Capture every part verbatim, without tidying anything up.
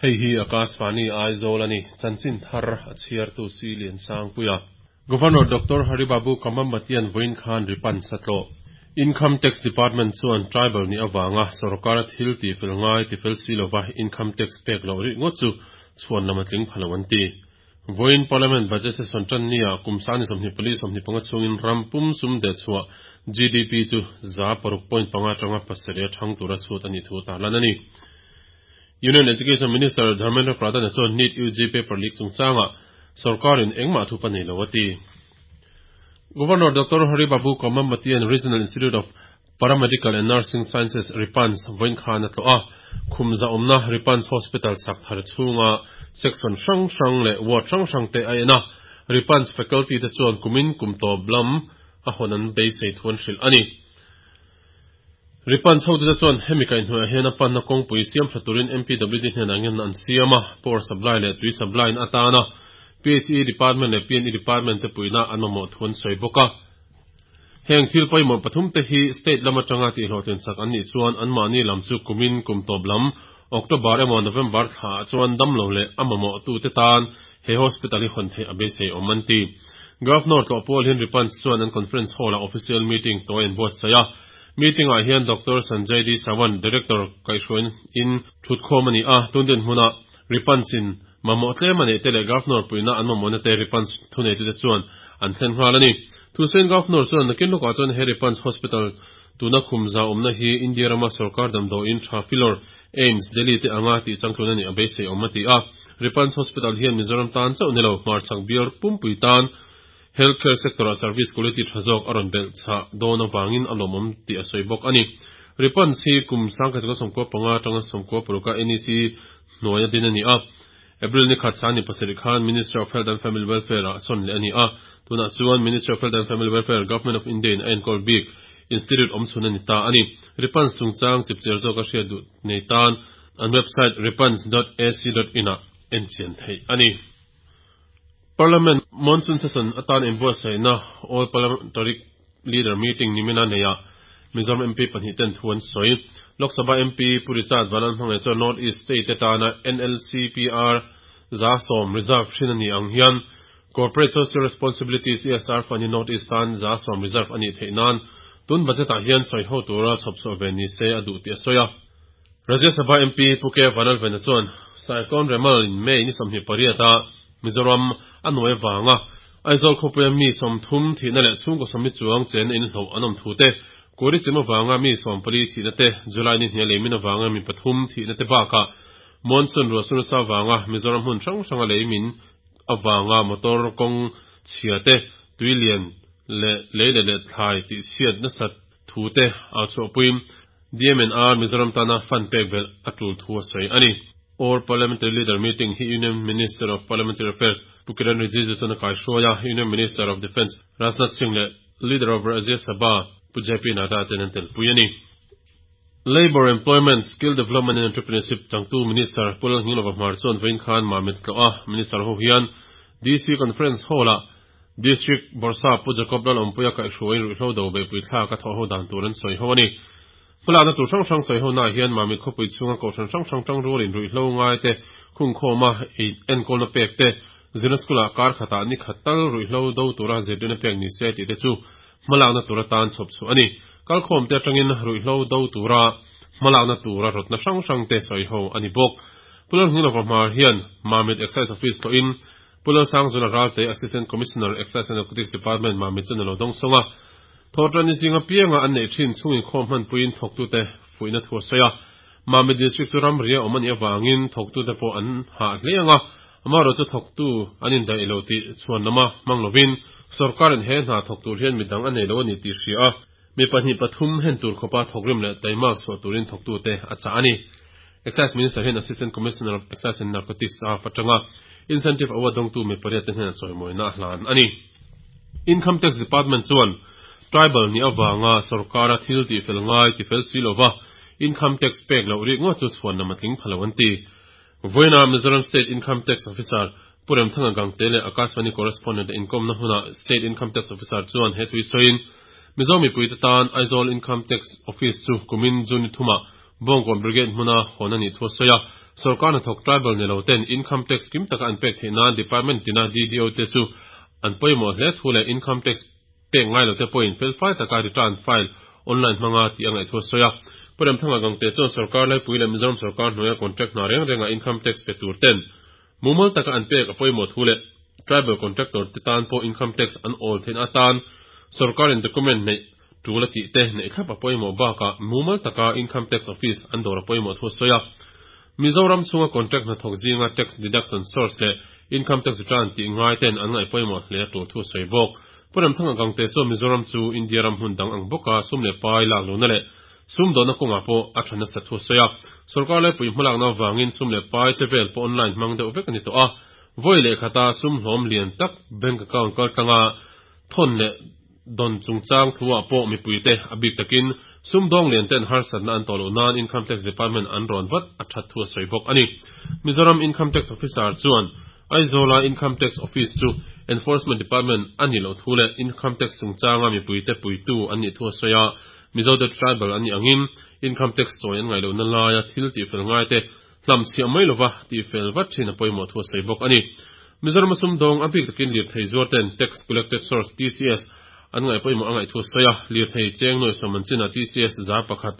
Hei hi Akashvani Aizawl a ni. Chanchin thar a chhiartu si Lian Sangpuia. Governor Doctor Haribabu Kambhampati-a'n vawiin khan Ripans a tlawh. Income Tax Department chuan tribal nih avanga sorkara thil tifel ngai tifel si lova income tax pek loh rik ngawt chu chhuan lam a tling pha lo an ti. Vawiin Parliament Budget Session tan nia kum sangni sawmhnih pali sawmhnih panga chhungin ram pum sum deh chhuah G D P chu za paruk point panga atanga pasarih a thang tura chhut a nih thu tarlan a ni. Union Education Minister Dharmendra Pradhan chuan NEET U G paper leak chungchanga sorkarin engmah thu pa nei lo a ti. Governor Doctor Haribabu Kambhampati-a'n Regional Institute of Paramedical and Nursing Sciences Ripans vawiin khan a tlawh a, khum za awmna Ripans Hospital sak thar chhunga section hrang hrang leh ward hrang hrang te a en a, Ripans faculty te chuan kumin kum tawp lam a hawn an beisei thu an hrilh a ni. Ripans hotute chuan hemi kaihhnuaiah hian a panna kawngpui siam tha turin M P W D hnenah ngen an siam a, power supply leh tui supply in atana P H E Department leh P N E Department te puihna an mamawh thu an sawi bawk a. Heng thil pawimawh pathum te hi state lam atanga tihhlawhtlin sak an nih chuan anmahni lam chu kumin kum tawp lam October emaw November thla chuan damlo leh a mamawh tu te tan he hospital hi hawn theih a beisei awm an ti. Governor tlawh pawl hian Ripans chuan an conference hall a official meeting tawi an buatsaih a. Meeting ah hian Doctor Sanjay D Sawant, Director kaihhruain in thutkhawm a ni a, tundin hmuna Ripans in mamawh tlem a neih te leh Governor puihna an mamawhna te Ripans thunei te chuan an thlen nghal a ni. Thusawiin Governor chuan nakin lawkah chuan he Ripans Hospital tuna khum za awmna hi India rama sarkar damdawiin tha filawr AIIMS Delhi te anga tih changtlun a nih a beisei awm a ti a. Ripans Hospital hian Mizoram tan chauh ni lo hmarchhak bial pumpui tan healthcare sector a service quality tha zawk a rawn belh chah dawn awangin a lawmawm tih a sawi bawk a ni. Ripans hi kum sangkhat sawmkua sawmkua panga atanga sawmkua paruka N E C hnuai a din a ni a. April ni khat sangni pasarih khan Ministry of Health and Family Welfare ah sawn leh a ni a. Tunah chuan Ministry of Health and Family Welfare, Government of India in a enkawl bik institute awm chhun a ni ta a ni. Ripans chungchang chipchiar zawk a hriat duh nei tan an website ripans dot ac dot in ah en chian theih a ni. Parliament Monsoon Session atan inbuatsaihna All Parliamentary Leader Meeting nimina neia Mizoram M P pahnih ten thu an sawi. Lok Sabha M P Pu Richard Vanlalhmangaih chuan North East State te tana N L C P R za sawm reserve hrin a ni ang hian Corporate Social Responsibility C S R Fund hi North East tan za sawm reserve a nih theih nan tun budget ah hian sawi ho tura chhawp chhuah ve ni se a duh tih a sawi a. Rajya Sabha M P Pu K Vanlalvena chuan Cyclone Remal in May ni sawmhnih pariat a Mizoram a nuai wanga Aizawl khawpuia mi sawmthum thihna leh chhungkaw sawmli chuang chen a inhloh an awm thu te, kuri chim awanga mi sawmpali thihna te, July ni hnih a leimin awanga mi pathum thihna te bakah monsoon ruahsur sa awanga Mizoram hmun hrang hranga leimin awanga motor kawng chhia te, tuilian leh lei leh leh thlai tih chhiat nasat thu te a chhuahpuiin D M N R Mizoram tana fund pek belh a tul thu a sawi a ni. All Parliamentary Leader Meeting hi Union Minister of Parliamentary Affairs Pu Kiren Rijiju chuan a kaihruai a, Union Minister of Defence Rajnath Singh leh Leader of Rajya Sabha Pu J P Nadda ten an telpui a ni. Labour, Employment, Skill Development and Entrepreneurship changtu Minister Pu Lalnghinglova Hmar chuan vawiin khan Mamit tlawh a. Minister ho hian D C Conference Hall ah District Bawrhsap Pu Jacob Lalawmpuia kaihhruaiin ruihhlo do beihpui thlak a thawh ho dan tur an sawi ho a ni. Hmalakna tur hrang hrang sawi ho naah hian Mamit khawpui chhunga kohhran hrang hrang tang rualin ruihhlo ngai te khungkhawma enkawlna pek te, zirna school ah kar khatah ni khat tal ruihhlo do tura zirtirna pek ni se tih te chu hmalakna tur atan chhawp chhuah a ni. Kalkhawm te atangin ruihhlo do tura hmalakna tura rawtna hrang hrang te sawi ho a ni bawk. Pu Lalnghinglova Hmar hian Mamit Excise Office tlawhin Pu Lalsangzula Ralte, Assistant Commissioner, Excise and Narcotics Department, Mamit chuan a lo dawng sawng a. Thawhtan ni zinga pianga an neih thin chungin khawm hmanpuiin thawktute fuihna thu a sawi a. Mamit District chu ram ria awm a nih awangin thawktute pawh an hah hle anga, amaherawhchu chu thawktu an indaih lo tih chhuan lama hmang lovin sarkarin he hna thawk tur hian midang a nei lo a ni tih hria a, mi pahnih pathum hen tur khawpa thawkrim leh taimak chhuah turin thawktute a chah a ni. Excise Minister hian Assistant Commissioner of Excise and Narcotics a patanga Incentive Award dawngtu mi pariat te hnenah chawimawina a hlan a ni. Income Tax Department chuan tribal ni awanga sarkara thil tifel ngai tifel si lova income tax pek lo rik ngawt chu chhuan lam a tling phalo an ti. Vawiina Mizoram State Income Tax Officer Pu Remthanga Gangte leh Akashvani correspondent inkom na huna State Income Tax Officer chuan he tui sawiin Mizo mipui te tan Aizawl Income Tax Office chu kumin June thuma Bawngkawn Brigade hmuna hawn a nih thu a sawi a. Sorkar hnathawk tribal ni lo ten income tax kim taka an pek theih nan department tina D D O te chu an pawimawh hle thu leh income tax pek ngai lo te pawhin felfai taka return file online hmanga tih a ngaih thu a sawi a. Pu Remthanga Gangte chuan sorkar laipui leh Mizoram sorkar hnuaia contract hna reng renga income tax pe tur ten mumal taka an pek a pawimawh thu leh tribal contractor te tan pawh income tax an awl theihna atan sorkarin document neih tul a tih te neih thlap a pawimawh bakah mumal taka income tax office an dawr a pawimawh thu a sawi a. Mizoram chhunga contract hnathawk zinga tax deduction source leh income tax return tih ngai ten an ngaih pawimawh hle a tul thu a sawi bawk. Pu Remthanga Gangte chuan Mizoram chu India ram hmun dang ang bawka sum leh pai lak lohna leh sum dawhna kawngah pawh a tha nasa thu a sawi a. Sorkar laipui hmalakna avangin sum leh pai chevel pawh online hmang deuh vek a ni tawh a. Vawi leh khata sum hlawm lian tak bank account kaltlanga thawn leh dawn chungchang thuah pawh mipuite a bik takin sum dawng lian ten harsatna an tawh loh nan income tax department an rawn vat a that thu a sawi bawk a ni. Mizoram income tax officer chuan Aizawla income tax office chu enforcement department a nih loh thu leh income tax chungchanga mipuite puitu an nih thu a sawi a. Mizo te tribal an nih angin income tax chawi an ngaih lohna laia thil tihfel ngai te hlam chhiah mai lova tihfel vat thin a pawimawh thu a sawi bawk a ni. Mizoram sum dawng a bik takin lirthei zuar ten tax collected source T C S an ngaih pawimawh a ngaih thu a sawi a. Lirthei cheng nuai sawm an chinah T C S za pakhat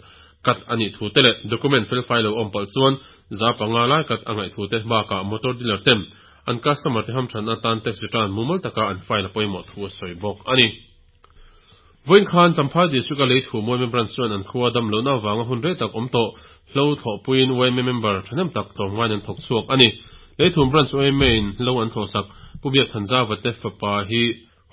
kat a nih thu te leh document felfai lo awm palh chuan za panga lai kat a ngaih thu te bakah motor dealer ten an customer te hamthan atan tax return mumal taka an file a pawimawh thu a sawi bawk a ni. Vawiin khan Champhai district a Leithum Y M A branch chuan an khua dam lohna avanga hun rei tak awm tawh hlo thlawhpuiin Y M A member thahnem tak tlawmngaiin an thawk chhuak a ni. Leithum branch Y M A in hlo an thlawhsak Pu Biak Thanzava te fapa hi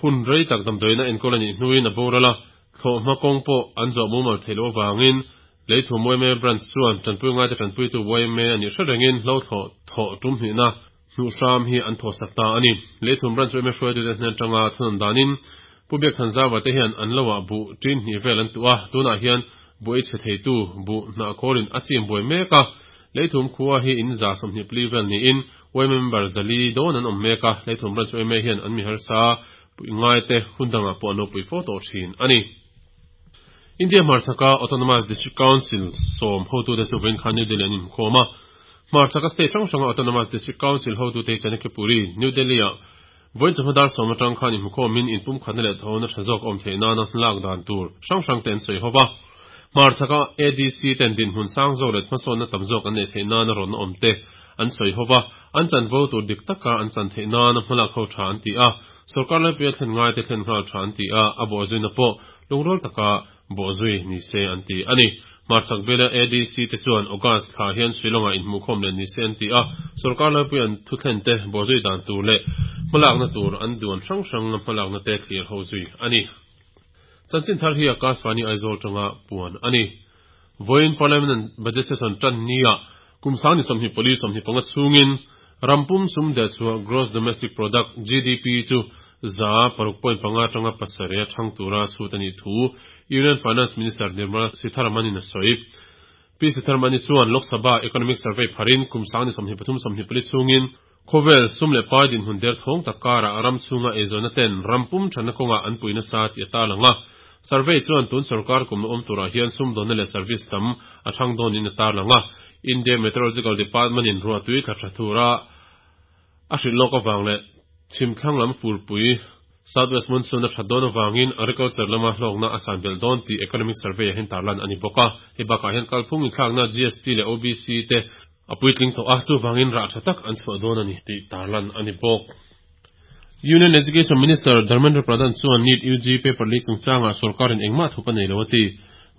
hun rei tak damdawiina enkawl a nih hnuin a boral a, thlawhhma kawng pawh an zawh mumal theih loh avangin Leithum Y M A branch chuan tanpui ngaite tanpuitu Y M A a nih hre rengin hlo thlawh thawh tum hnihna hnuh hram hi an thawhsak ta a ni. Leithum branch Y M A hruaitute hnen atanga thunawn danin Pu Biak Thanzava te hian an loah buh tin hnih vel an tuh a, tunah hian buh ei chhe theitu buh hnah khawlin a chim buai mek a. Leithum khua hi in za sawmhnih pali vel niin Y M A member zali dawn an awm mek a. Leithum branch Y M A hian an mi harsa pui ngai te hun dangah pawh an lo pui fo tawh thin a ni. India hmarchhaka Autonomous District Council sawm hotute chu vawiin khan New Delhi an inkhawm a. Hmarchhaka state hrang hranga Autonomous District Council hotute hi Chanakyapuri, New Delhi-ah vawiin chawhma dar sawm atang khan inhmukhawmin inpumkhatna leh thawhna tha zawk awm theih nana lak dan tur hrang hrang te an sawi ho va. Hmarchhaka A D C ten dinhmun sang zawk leh hmasawnna tam zawk an neih theih nana rawn awm te an sawi ho va. An chanvo tur dik taka an chan theih nana hmalak ho tha an ti a. Sorkar laipuia thlen ngai te thlen nghal tha an ti a, a bawhzuina pawh lungrual taka bawhzui ni se an ti a ni. Hmarchhak biala A D C te chuan August thla hian Shillong-ah inhmuhkhawm leh ni se an ti a. Sorkar laipui an thu thlen te bawhzui dan tur leh hmalakna tur an duan hrang hrang hmalakna te thlir ho zui a ni. Chanchin thar hi Akashvani Aizawl tanga puan a ni. Vawiin Parliament budget session tan nia kum sangni sawmhnih pali sawmhnih panga chhungin rampum sum deh chhuah gross domestic product G D P chu za paruk point panga tanga pasarih a thang tura chhut a nih thu Union Finance Minister Nirmala Sitharaman in a sawi. Pi Sitharaman chuan Lok Sabha Economic Survey pharin kum sangni sawmhnih pathum sawmhnih pali chhungin khawvel sum leh pai dinhmun der thawng tak karah ram chhunga eizawnna ten rampum thana kawnga an puina sa ti a tarlang a. Survey chuan tun sarkar kum awm turah hian sum dawnna leh service tam a thang dawn in a tarlang a. India Meteorological Department in ruahtui thla tha thura a hrilh lawk awang leh chhimthlang lam furpui Southwest Monsoon a that dawn awangin agriculture lama hlawkna a san belh dawn tih economic survey a hian tarlan a ni bawk a. Hei bakah hian kalphung inthlakna G S T leh O B C te a puitling tawh a, chuwangin rah tha tak an chhuah dawn a ni tih tarlan a ni bawk. Union Education Minister Dharmendra Pradhan chuan NEET U G paper leak chungchanga sarkarin engmah thup a nei lo a ti.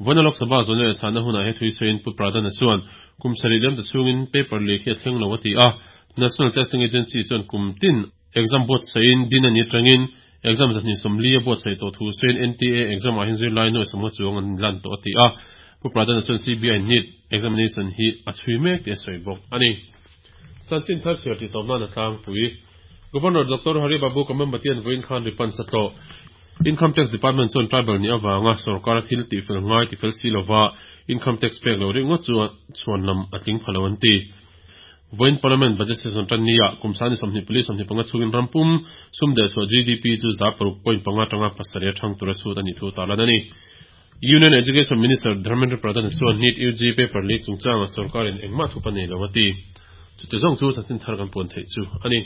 Vawiin Lok Sabha zawhna leh chhana hunah he thui sawiin Pu Pradhan a chuan kum sarih liam ta chhungin paper leak hi a thleng lo a ti a. National Testing Agency chuan kum tin exam buatsain din ani atangin exam zahnih sawmli a buatsaih tawh thu sawiin N T A exam ah hian zirlai nuai sawmnga chuang an lan tawh a ti a. Pu Pradhan a chuan C B I NEET examination hi a chhui mek tih a sawi bawk a ni. Chanchin thar chhiar tih tawp nan a tlangpui. Governor Doctor Hari Babu Kambhampati an vawiin khan ripan satlo. Income Tax Department chuan tribal ni awanga sarkar a thil tihfel ngai tifel si lova income tax pek lo ringawt chu chuan lam a tling phalo an ti. Vawiin Parliament budget session tan nia kum sangni sawmhnih pali sawmhnih panga chhungin rampum sum deh chhuah G D P chu za paruk point panga tanga pasarih a thang tura chhut a nih thu tarlan a ni. Union Education Minister Dharmendra Pradhan chuan NEET UG paper leak chungchanga sorkarin engmah thup a nei lo a ti. Chute zawng chu chanchin thar kan puan theih chu a ni.